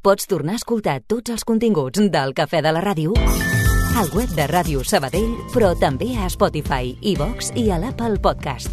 Pots tornar a escoltar tots els continguts del Cafè de la Ràdio al web de Ràdio Sabadell, però també a Spotify, iVox i a l'Apple Podcast.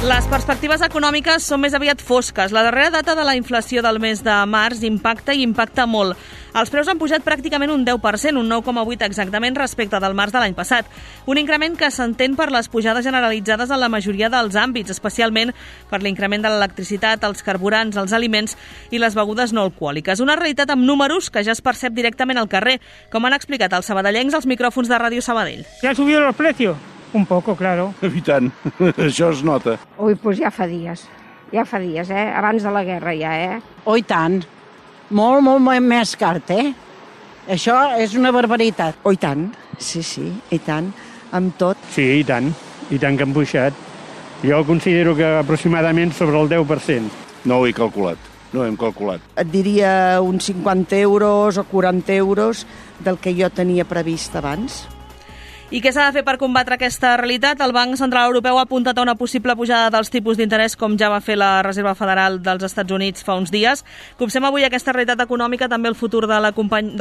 Les perspectives econòmiques són més aviat fosques. La darrera data de la inflació del mes de març impacta molt. Els preus han pujat pràcticament un 10%, un 9,8% exactament respecte del març de l'any passat. Un increment que s'entén per les pujades generalitzades en la majoria dels àmbits, especialment per l'increment de l'electricitat, els carburants, els aliments i les begudes no alcohòliques. Una realitat amb números que ja es percep directament al carrer, com han explicat els sabadellencs als micròfons de Ràdio Sabadell. ¿Ya han subido los precios? Un poco, claro. I tant, això es nota. Ui, doncs ja fa dies, abans de la guerra ja, Oh, i tant. Molt més car, Això és una barbaritat. Oh, i tant, sí, i tant, amb tot. Sí, i tant que han pujat. Jo considero que aproximadament sobre el 10%. No ho he calculat, no hem calculat. Et diria uns 50 euros o 40 euros del que jo tenia previst abans. I què s'ha de fer per combatre aquesta realitat? El Banc Central Europeu ha apuntat a una possible pujada dels tipus d'interès, com ja va fer la Reserva Federal dels Estats Units fa uns dies. Copsem avui aquesta realitat econòmica, també el futur de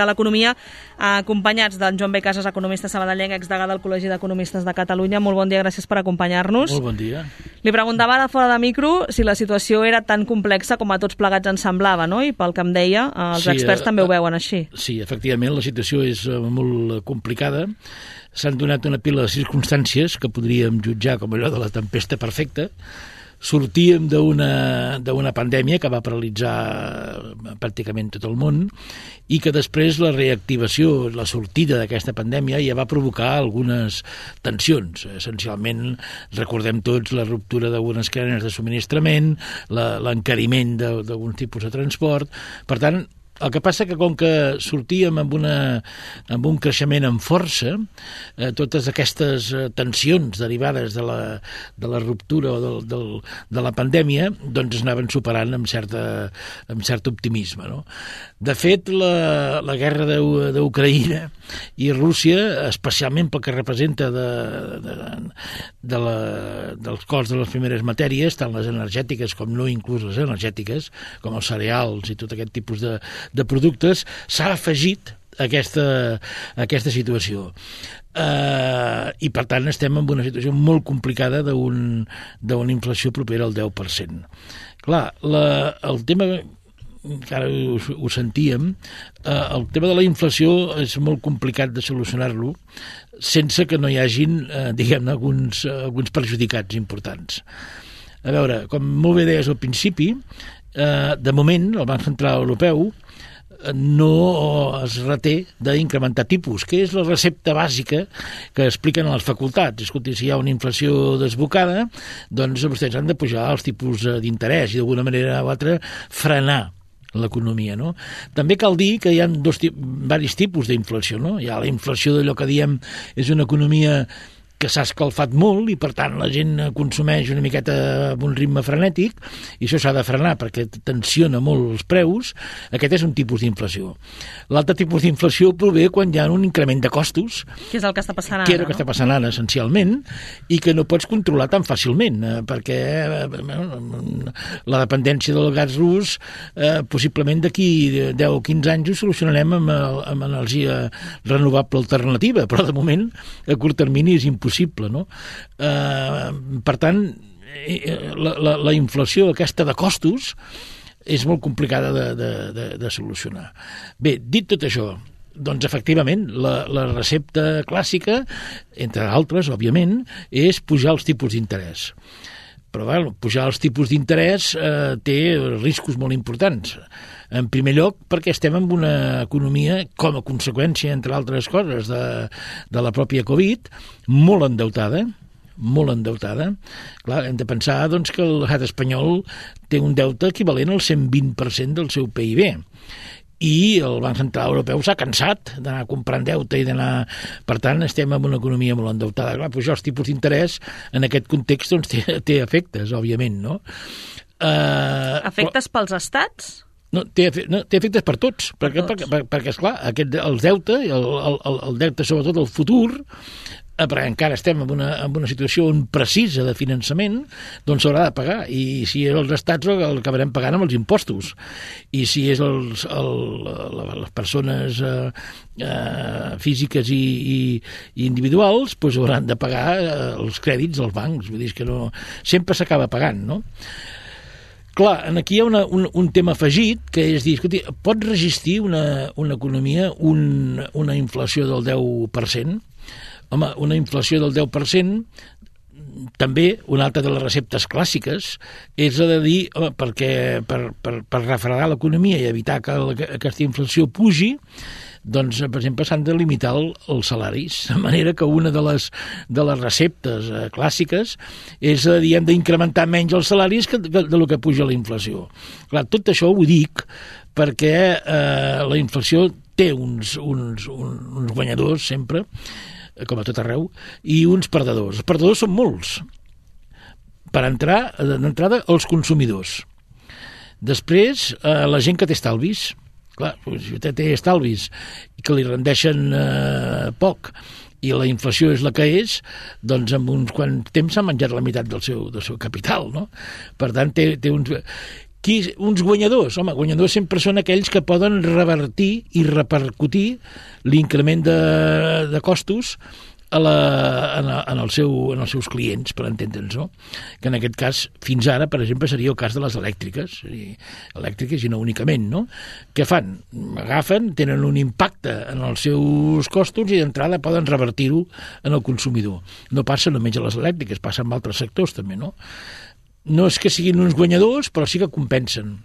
l'economia, acompanyats d'en Joan B. Casas, economista sabadellenc, exdegà del Col·legi d'Economistes de Catalunya. Molt bon dia, gràcies per acompanyar-nos. Molt bon dia. Li preguntava ara fora de micro si la situació era tan complexa com a tots plegats ens semblava, no? I pel que em deia, els experts també ho veuen així. Sí, efectivament, la situació és molt complicada. S'han donat una pila de circumstàncies que podríem jutjar com allò de la tempesta perfecta. Sortíem d'una pandèmia que va paralitzar pràcticament tot el món i que després la reactivació, la sortida d'aquesta pandèmia ja va provocar algunes tensions. Essencialment, recordem tots la ruptura d'algunes cadenes de subministrament, l'encariment d'alguns tipus de transport. Per tant, el que passa que com que sortíem amb un creixement amb força, totes aquestes tensions derivades de la ruptura o de la pandèmia doncs es anaven superant amb cert optimisme, no? De fet, la guerra d'Ucraïna i Rússia, especialment pel que representa dels costs de les primeres matèries, tant les energètiques com no inclús les energètiques, com els cereals i tot aquest tipus de productes, s'ha afegit aquesta situació. I per tant estem en una situació molt complicada d'una inflació propera al 10%. Clar, el tema, que ara ho sentíem, el tema de la inflació és molt complicat de solucionar-lo sense que no hi hagin, diguem-ne, alguns perjudicats importants. A veure, com molt bé deies al principi, de moment el Banc Central Europeu no es reté d'incrementar tipus, que és la recepta bàsica que expliquen a les facultats. Escolti, si hi ha una inflació desbocada, doncs vostès han de pujar els tipus d'interès i d'alguna manera o altra frenar l'economia, no? També cal dir que hi ha diversos tipus d'inflació, no? Hi ha la inflació d'allò que diem és una economia que s'ha escalfat molt i per tant la gent consumeix una miqueta amb un ritme frenètic i això s'ha de frenar perquè tensiona molt els preus. Aquest és un tipus d'inflació. L'altre tipus d'inflació prové quan hi ha un increment de costos, que és el que està passant ara, que és el que està passant ara essencialment, i que no pots controlar tan fàcilment perquè la dependència del gas rus possiblement d'aquí 10 o 15 anys ho solucionarem amb energia renovable alternativa, però de moment a curt termini és impossible, no? Per tant, la inflació aquesta de costos és molt complicada de solucionar. Bé, dit tot això, doncs efectivament la recepta clàssica, entre altres, òbviament, és pujar els tipus d'interès. Però bueno, pujar els tipus d'interès té riscos molt importants. En primer lloc, perquè estem en una economia, com a conseqüència, entre altres coses, de la pròpia Covid, molt endeutada. Clar, hem de pensar doncs, que l'estat espanyol té un deute equivalent al 120% del seu PIB. I el Banc Central Europeu s'ha cansat d'anar comprant deute i d'anar... Per tant, estem en una economia molt endeutada. Clar, pujar els tipus d'interès en aquest context doncs, té efectes, òbviament, no? Efectes pels estats? No, té efectes per tots, perquè esclar, el deute, el deute sobretot el futur, perquè encara estem en una situació on precisa de finançament, doncs s'haurà de pagar, i si és els estats el acabarem pagant amb els impostos, i si és les persones físiques i individuals, doncs hauran de pagar els crèdits als bancs, vull dir que no, sempre s'acaba pagant, no? Clar, aquí hi ha un tema afegit, que és dir, escolti, pot resistir una economia una inflació del 10%? Home, una inflació del 10%, també una altra de les receptes clàssiques, és la de dir, home, perquè per refredar l'economia i evitar que aquesta inflació pugi, doncs, per exemple, s'han de limitar els salaris, de manera que una de les receptes clàssiques és, diguem, d'incrementar menys els salaris que del que puja la inflació. Clar, tot això ho dic perquè la inflació té uns guanyadors sempre, com a tot arreu, i uns perdedors. Els perdedors són molts. Per entrar, d'entrada, els consumidors. Després, la gent que té estalvis. Clar, si té estalvis i que li rendeixen poc i la inflació és la que és, doncs en uns quants temps s'ha menjat la meitat del seu capital, no? Per tant, té uns guanyadors. Home, guanyadors sempre són aquells que poden revertir i repercutir l'increment de costos en els seus clients, per entendre'ns, no? Que en aquest cas, fins ara, per exemple, seria el cas de les elèctriques i no únicament, no? Què fan? Agafen, tenen un impacte en els seus costos i d'entrada poden revertir-ho en el consumidor. No passa només a les elèctriques, passa en altres sectors també, no? No és que siguin uns guanyadors, però sí que compensen.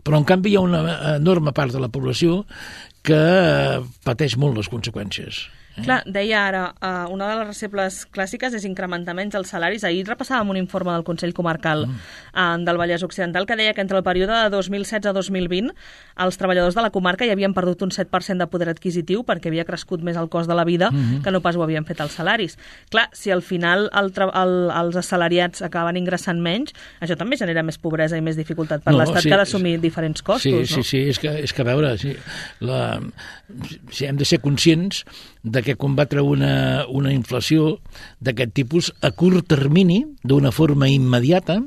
Però, en canvi, hi ha una enorme part de la població que pateix molt les conseqüències. Clar, deia ara, una de les receptes clàssiques és incrementar menys els salaris. Ahir repassàvem un informe del Consell Comarcal del Vallès Occidental que deia que entre el període de 2016 a 2020 els treballadors de la comarca hi havien perdut un 7% de poder adquisitiu perquè havia crescut més el cost de la vida que no pas ho havien fet els salaris. Clar, si al final els assalariats acaben ingressant menys, això també genera més pobresa i més dificultat per l'Estat que ha d'assumir diferents costos, no? Sí, és que a veure, si hem de ser conscients de que combatre una inflació d'aquest tipus a curt termini, d'una forma immediata,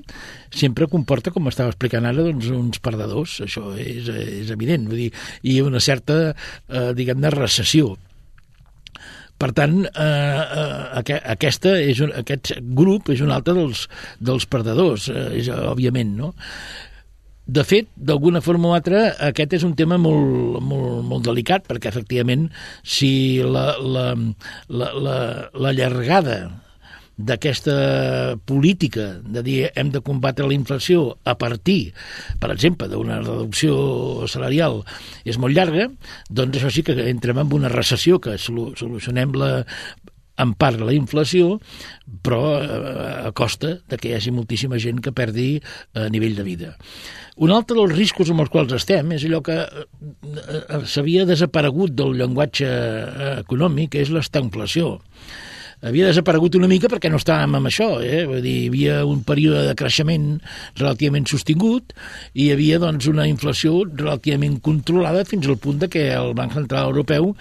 sempre comporta, com estava explicant ara, doncs, uns perdedors. Això és evident. Vull dir, i una certa, diguem-ne, recessió. Per tant, aquest grup és un altre dels perdedors, òbviament, no? De fet, d'alguna forma o altra, aquest és un tema molt, molt, molt delicat, perquè, efectivament, si la llargada d'aquesta política de dir hem de combatre la inflació a partir, per exemple, d'una reducció salarial és molt llarga, doncs això sí que entrem en una recessió, que solucionem en part la inflació, però a costa de que hi hagi moltíssima gent que perdi nivell de vida. Un altre dels riscos amb els quals estem és allò que s'havia desaparegut del llenguatge econòmic, és l'estagflació. Havia desaparegut una mica perquè no estàvem amb això, Vull dir, hi havia un període de creixement relativament sostingut i hi havia, doncs, una inflació relativament controlada fins al punt de que el Banc Central Europeu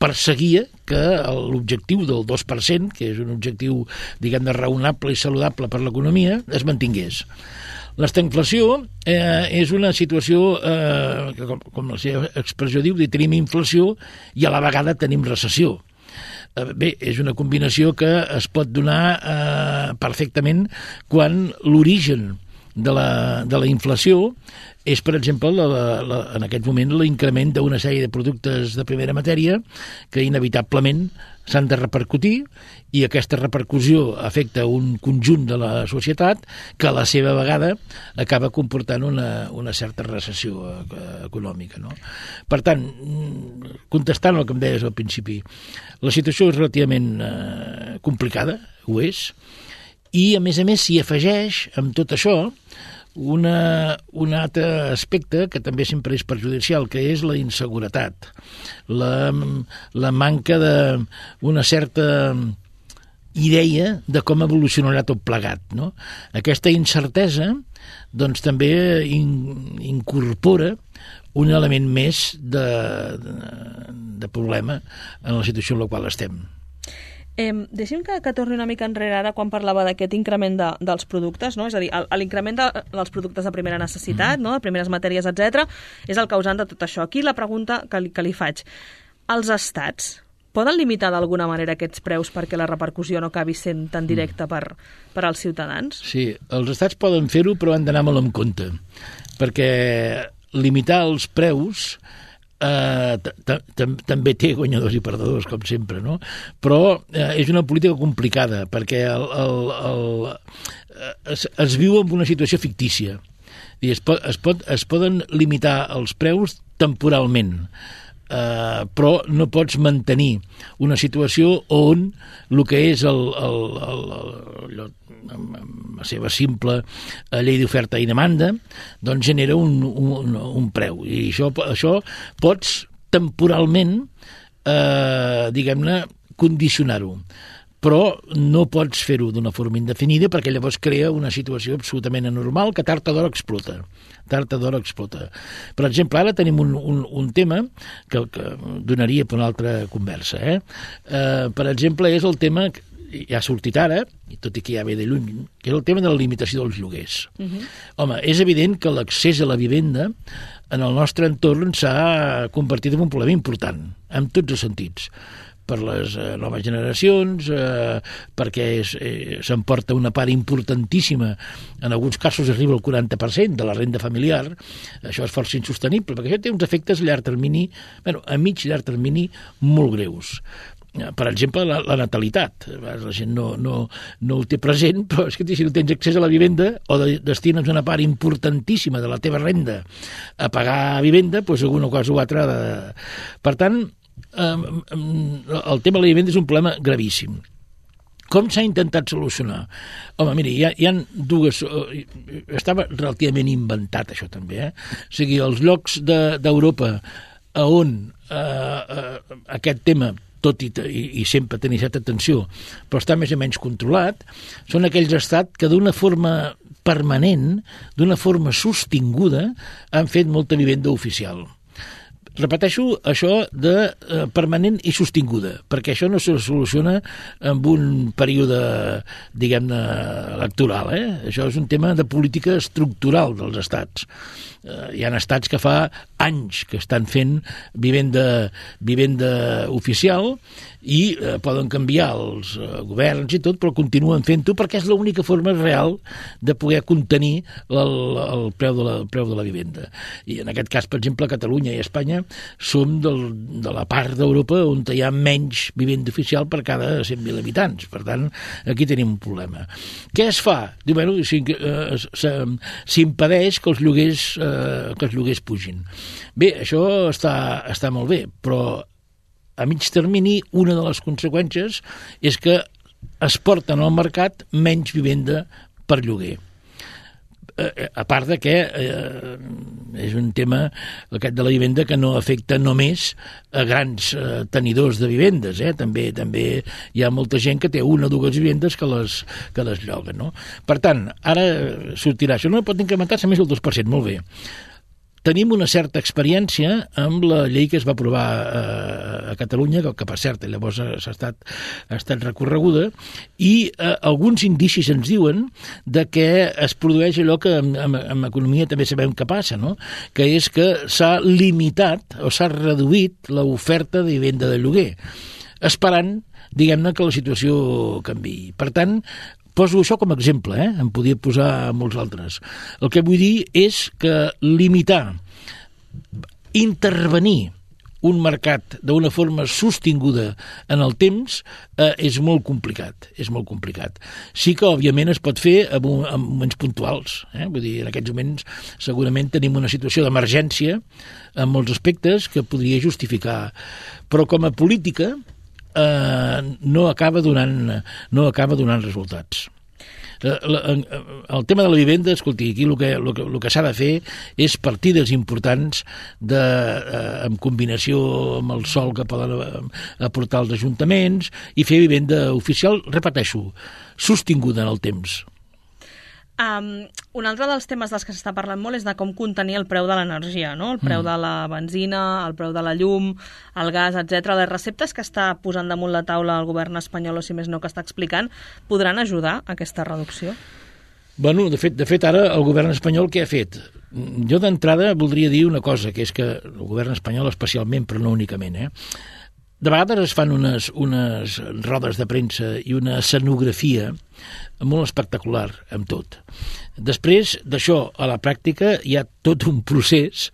perseguia que l'objectiu del 2%, que és un objectiu, diguem-ne, raonable i saludable per l'economia, es mantingués. L'estagflació és una situació que, com la seva expressió diu, tenim inflació i a la vegada tenim recessió. Bé, és una combinació que es pot donar perfectament quan l'origen de la inflació és, per exemple, en aquest moment l'increment d'una sèrie de productes de primera matèria que inevitablement s'han de repercutir i aquesta repercussió afecta un conjunt de la societat que a la seva vegada acaba comportant una certa recessió econòmica, no? Per tant, contestant el que em deies al principi, la situació és relativament complicada, ho és, i a més s'hi afegeix amb tot això un altre aspecte que també sempre és perjudicial, que és la inseguretat, la manca d'una certa idea de com evolucionarà tot plegat, no? Aquesta incertesa doncs també incorpora un element més de problema en la situació en la qual estem. Deixi'm que torni una mica enrere ara quan parlava d'aquest increment dels productes, no? És a dir, l'increment dels productes de primera necessitat, no? De primeres matèries, etc., és el causant de tot això. Aquí la pregunta que li faig. Els estats poden limitar d'alguna manera aquests preus perquè la repercussió no acabi sent tan directa per als ciutadans? Sí, els estats poden fer-ho, però han d'anar molt en compte, perquè limitar els preus també té guanyadors i perdedors, com sempre, no? Però és una política complicada, perquè es viu en una situació fictícia. Es poden limitar els preus temporalment, però no pots mantenir una situació on el que és la seva simple llei d'oferta i demanda doncs genera un preu, i això pots temporalment diguem-ne condicionar-ho, però no pots fer-ho d'una forma indefinida perquè llavors crea una situació absolutament anormal que tard o d'hora explota. Per exemple, ara tenim un tema que donaria per una altra conversa. Per exemple, és el tema, ja ha sortit ara, i tot i que ja ve de lluny, que és el tema de la limitació dels lloguers. Home, és evident que l'accés a la vivenda en el nostre entorn s'ha convertit en un problema important, en tots els sentits, per les noves generacions, perquè s'emporta una part importantíssima, en alguns casos arriba al 40% de la renda familiar. Això és força insostenible, perquè això té uns efectes a llarg termini, a mig i llarg termini, molt greus. Per exemple, la natalitat. La gent no ho té present, però és que si no tens accés a la vivenda o destines una part importantíssima de la teva renda a pagar vivenda, doncs alguna cosa o altra. Per tant, el tema de la vivenda és un problema gravíssim. Com s'ha intentat solucionar? Home, miri, hi ha dues... Estava relativament inventat, això també, O sigui, els llocs d'Europa on aquest tema, tot i sempre tenir certa atenció, però està més o menys controlat, són aquells estats que d'una forma permanent, d'una forma sostinguda, han fet molta vivenda oficial. Repeteixo això de permanent i sostinguda, perquè això no se soluciona en un període, diguem-ne, electoral. Això és un tema de política estructural dels estats. Hi ha estats que fa anys que estan fent vivenda oficial i poden canviar els governs i tot, però continuen fent-ho perquè és l'única forma real de poder contenir el preu de la vivenda. I en aquest cas, per exemple, Catalunya i Espanya som de la part d'Europa on hi ha menys vivenda oficial per cada 100.000 habitants. Per tant, aquí tenim un problema. Què es fa? Diu, bueno, s'impedeix que els lloguers pugin. Bé, això està molt bé, però a mig termini una de les conseqüències és que es porten al mercat menys vivenda per lloguer. A part de que és un tema, aquest de la vivenda, que no afecta només a grans tenidors de vivendes, també hi ha molta gent que té una o dues vivendes que les lloguen, no? Per tant, ara sortirà això, no pot incrementar-se més del 2%, molt bé. Tenim una certa experiència amb la llei que es va aprovar a Catalunya, que per cert llavors ha estat recorreguda, i alguns indicis ens diuen de que es produeix allò que en economia també sabem que passa, no? Que és que s'ha limitat o s'ha reduït l'oferta de vivenda de lloguer, esperant, diguem-ne, que la situació canviï. Per tant, poso això com a exemple, en podria posar molts altres. El que vull dir és que limitar, intervenir un mercat d'una forma sostinguda en el temps és molt complicat, Sí que, òbviament, es pot fer en moments puntuals. Vull dir, en aquests moments segurament tenim una situació d'emergència en molts aspectes que podria justificar, però com a política no acaba donant resultats. El tema de la vivenda, escolti, aquí el que s'ha de fer és partides importants en combinació amb el sòl que poden aportar els ajuntaments i fer vivenda oficial, repeteixo, sostinguda en el temps. Un altre dels temes dels que s'està parlant molt és de com contenir el preu de l'energia, no? El preu de la benzina, el preu de la llum, el gas, etc. Les receptes que està posant damunt la taula el govern espanyol, o si més no que està explicant, podran ajudar a aquesta reducció? Bueno, de fet, ara el govern espanyol què ha fet? Jo d'entrada voldria dir una cosa, que és que el govern espanyol especialment, però no únicament, de vegades es fan unes rodes de premsa i una escenografia molt espectacular amb tot. Després d'això a la pràctica hi ha tot un procés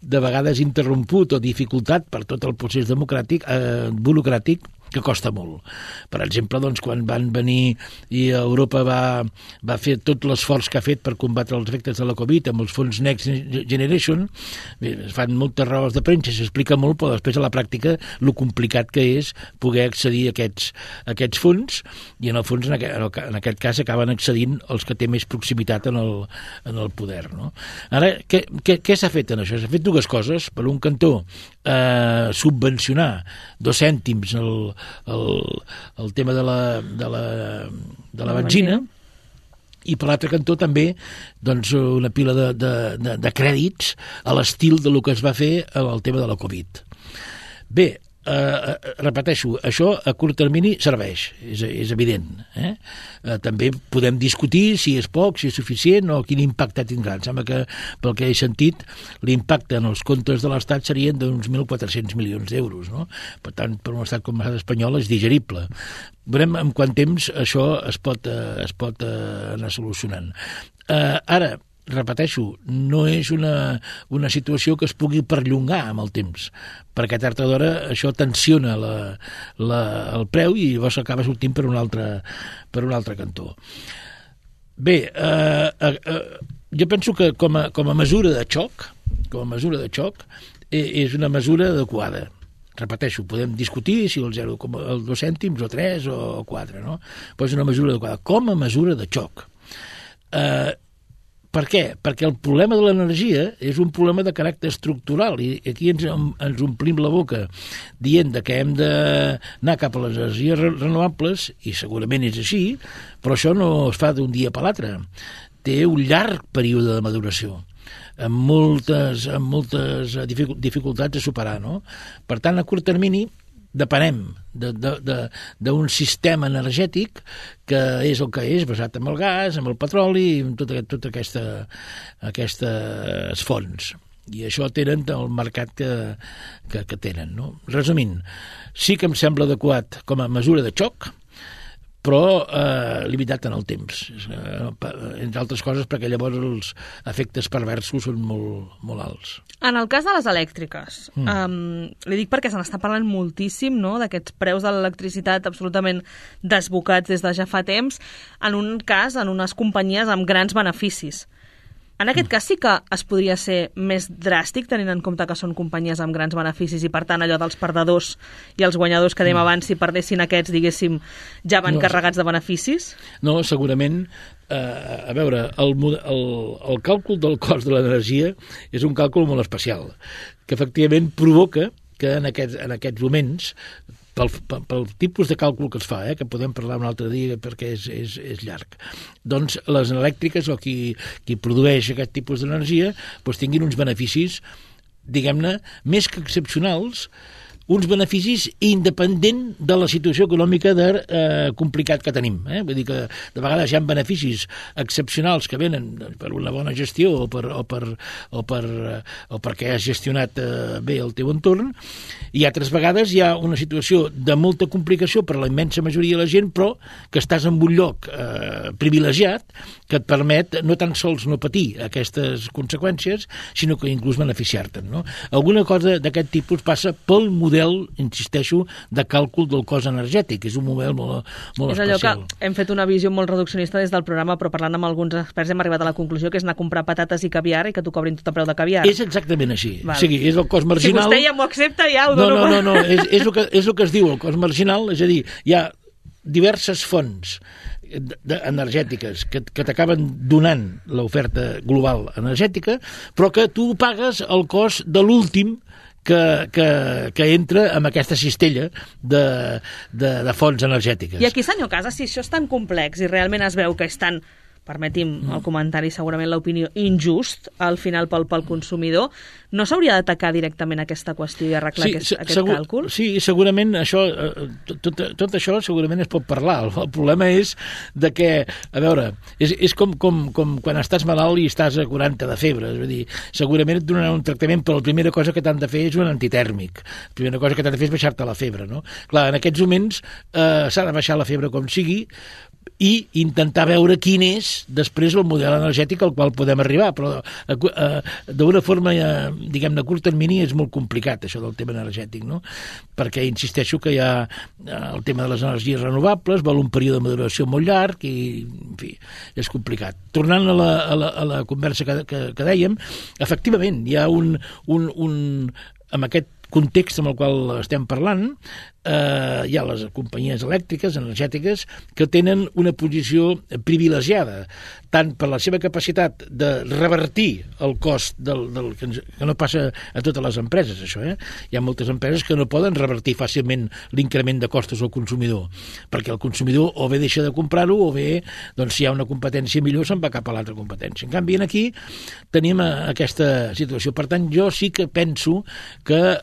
de vegades interromput o dificultat per tot el procés burocràtic que costa molt. Per exemple, doncs, quan van venir i Europa va fer tot l'esforç que ha fet per combatre els efectes de la Covid amb els fons Next Generation, es fan moltes rodes de premsa, s'explica molt, però després a la pràctica el complicat que és poder accedir a aquests fons, i en el fons en aquest cas acaben accedint els que té més proximitat en el poder. No? Ara, què s'ha fet en això? S'ha fet dues coses. Per un cantó, subvencionar 2 cèntims el tema de la benzina, i per l'altre cantó també doncs, una pila de crèdits a l'estil del que es va fer al tema de la Covid. Bé, repeteixo, això a curt termini serveix, és evident. També podem discutir si és poc, si és suficient o quin impacte tindrà. Em sembla que, pel que he sentit, l'impacte en els comptes de l'Estat serien d'uns 1.400 milions d'euros. No? Per tant, per un estat com l'estat espanyol és digerible. Veurem en quant temps això es pot anar solucionant. Ara, repeteixo, no és una situació que es pugui perllongar amb el temps, perquè tard o d'hora això tensiona el preu i llavors acaba sortint per un altre cantó. Bé, jo penso que com a mesura de xoc és una mesura adequada. Repeteixo, podem discutir si el 2 cèntims o 3 o 4, no? Però és una mesura adequada. Com a mesura de xoc. Per què? Perquè el problema de l'energia és un problema de caràcter estructural i aquí ens omplim la boca dient que hem d'anar cap a les energies renovables, i segurament és així, però això no es fa d'un dia per l'altre. Té un llarg període de maduració, amb moltes dificultats a superar. No? Per tant, a curt termini, depenem d'un sistema energètic que és el que és, basat en el gas, en el petroli i en totes aquestes fonts. I això tenen el mercat que tenen. No? Resumint, sí que em sembla adequat com a mesura de xoc, però limitat en el temps, entre altres coses perquè llavors els efectes perversos són molt alts. En el cas de les elèctriques, li dic perquè se n'està parlant moltíssim, no?, d'aquests preus de l'electricitat absolutament desbocats des de ja fa temps, en un cas, en unes companyies amb grans beneficis. En aquest cas sí que es podria ser més dràstic, tenint en compte que són companyies amb grans beneficis i, per tant, allò dels perdedors i els guanyadors que dèiem abans, si perdessin aquests, diguéssim, ja van carregats de beneficis? No, segurament. A veure, el càlcul del cost de l'energia és un càlcul molt especial, que efectivament provoca que en aquests moments, pel tipus de càlcul que es fa, que podem parlar un altre dia perquè és llarg, doncs les elèctriques o qui produeix aquest tipus d'energia doncs tinguin uns beneficis, diguem-ne, més que excepcionals, uns beneficis independent de la situació econòmica complicat que tenim. Vull dir que de vegades hi ha beneficis excepcionals que venen per una bona gestió o perquè has gestionat bé el teu entorn, i altres vegades hi ha una situació de molta complicació per a la immensa majoria de la gent, però que estàs en un lloc privilegiat que et permet no tan sols no patir aquestes conseqüències, sinó que inclús beneficiar-te'n. No? Alguna cosa d'aquest tipus passa pel model, insisteixo, de càlcul del cost energètic. És un model molt especial. És allò que hem fet una visió molt reduccionista des del programa, però parlant amb alguns experts hem arribat a la conclusió que és anar a comprar patates i caviar i que t'ho cobrin tot a preu de caviar. És exactament així. O sigui, és el cost marginal. Si vostè ja m'ho accepta, ja ho dono. No, és el que es diu el cost marginal, és a dir, hi ha diverses fonts energètiques que t'acaben donant l'oferta global energètica, però que tu pagues el cost de l'últim que entra amb aquesta cistella de fonts energètiques. I aquí, senyor Casas, si això és tan complex i realment es veu que és tan permeti'm el comentari, segurament l'opinió, injust, al final pel consumidor, no s'hauria d'atacar directament aquesta qüestió i arreglar aquest càlcul? Sí, segurament això, tot això segurament es pot parlar. El problema és de que, a veure, és com quan estàs malalt i estàs a 40 de febre, és a dir, segurament et donaran un tractament, però la primera cosa que t'han de fer és un antitèrmic. La primera cosa que t'han de fer és baixar-te la febre, no? Clar, en aquests moments s'ha de baixar la febre com sigui, i intentar veure quin és després el model energètic al qual podem arribar, però d'una forma, diguem-ne, a curt termini és molt complicat això del tema energètic, no? Perquè insisteixo que hi ha el tema de les energies renovables, vol un període de maduració molt llarg i, en fi, és complicat. Tornant a la conversa que dèiem, efectivament, hi ha amb aquest context amb el qual estem parlant, hi ha les companyies elèctriques, energètiques, que tenen una posició privilegiada, tant per la seva capacitat de revertir el cost que no passa a totes les empreses, això, Hi ha moltes empreses que no poden revertir fàcilment l'increment de costos al consumidor, perquè el consumidor o bé deixa de comprar-ho o bé, doncs, si hi ha una competència millor, se'n va cap a l'altra competència. En canvi, aquí tenim aquesta situació. Per tant, jo sí que penso que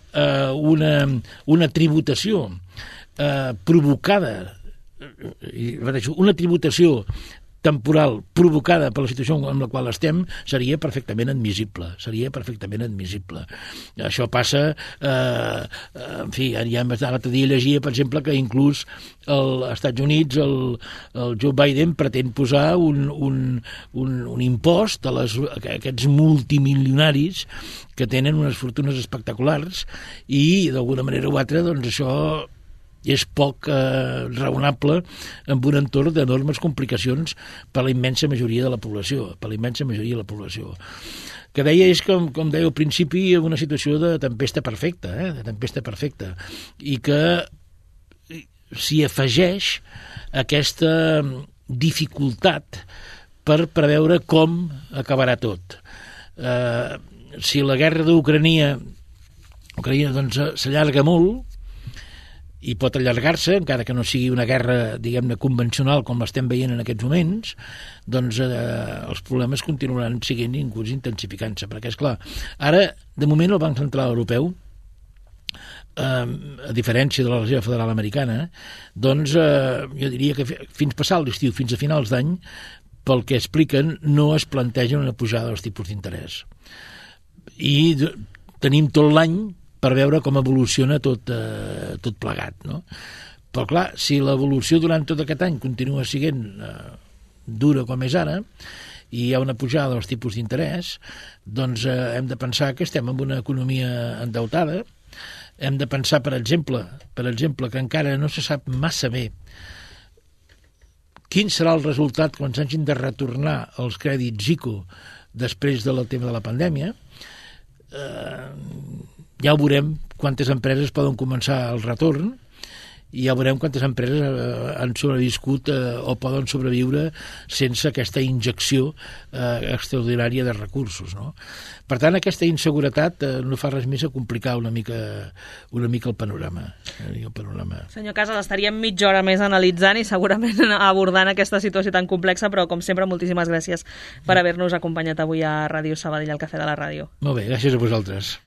una tributació provocada, una tributació temporal provocada per la situació en la qual estem seria perfectament admissible. Això passa, en fi, ja l'altre dia llegia, per exemple, que inclús als Estats Units el Joe Biden pretén posar un impost a aquests multimilionaris que tenen unes fortunes espectaculars i, d'alguna manera o altra, doncs això és poc raonable en un entorn d'enormes complicacions per a la immensa majoria de la població, Que deia és, com deia al principi, una situació de tempesta perfecta, i que s'hi afegeix aquesta dificultat per preveure com acabarà tot. Si la guerra d'Ucraïna doncs s'allarga molt, i pot allargar-se, encara que no sigui una guerra, diguem-ne, convencional com l'estem veient en aquests moments, doncs els problemes continuaran sent inclús intensificant-se, perquè, esclar, ara, de moment, el Banc Central Europeu, a diferència de la Reserva Federal Americana, doncs jo diria que fins passar l'estiu, fins a finals d'any, pel que expliquen, no es plantegen una pujada dels tipus d'interès. I tenim tot l'any per veure com evoluciona tot plegat, no? Però, clar, si l'evolució durant tot aquest any continua sent dura com és ara, i hi ha una pujada dels tipus d'interès, doncs hem de pensar que estem en una economia endeutada, hem de pensar, per exemple, que encara no se sap massa bé quin serà el resultat quan s'hagin de retornar els crèdits ICO després del tema de la pandèmia. Ja ho veurem quantes empreses poden començar el retorn i ja veurem quantes empreses han sobreviscut o poden sobreviure sense aquesta injecció extraordinària de recursos, no? Per tant, aquesta inseguretat no fa res més a complicar una mica el panorama. Senyor Casas, estaríem mitja hora més analitzant i segurament abordant aquesta situació tan complexa, però com sempre, moltíssimes gràcies per haver-nos acompanyat avui a Ràdio Sabadell, al Cafè de la Ràdio. Molt bé, gràcies a vosaltres.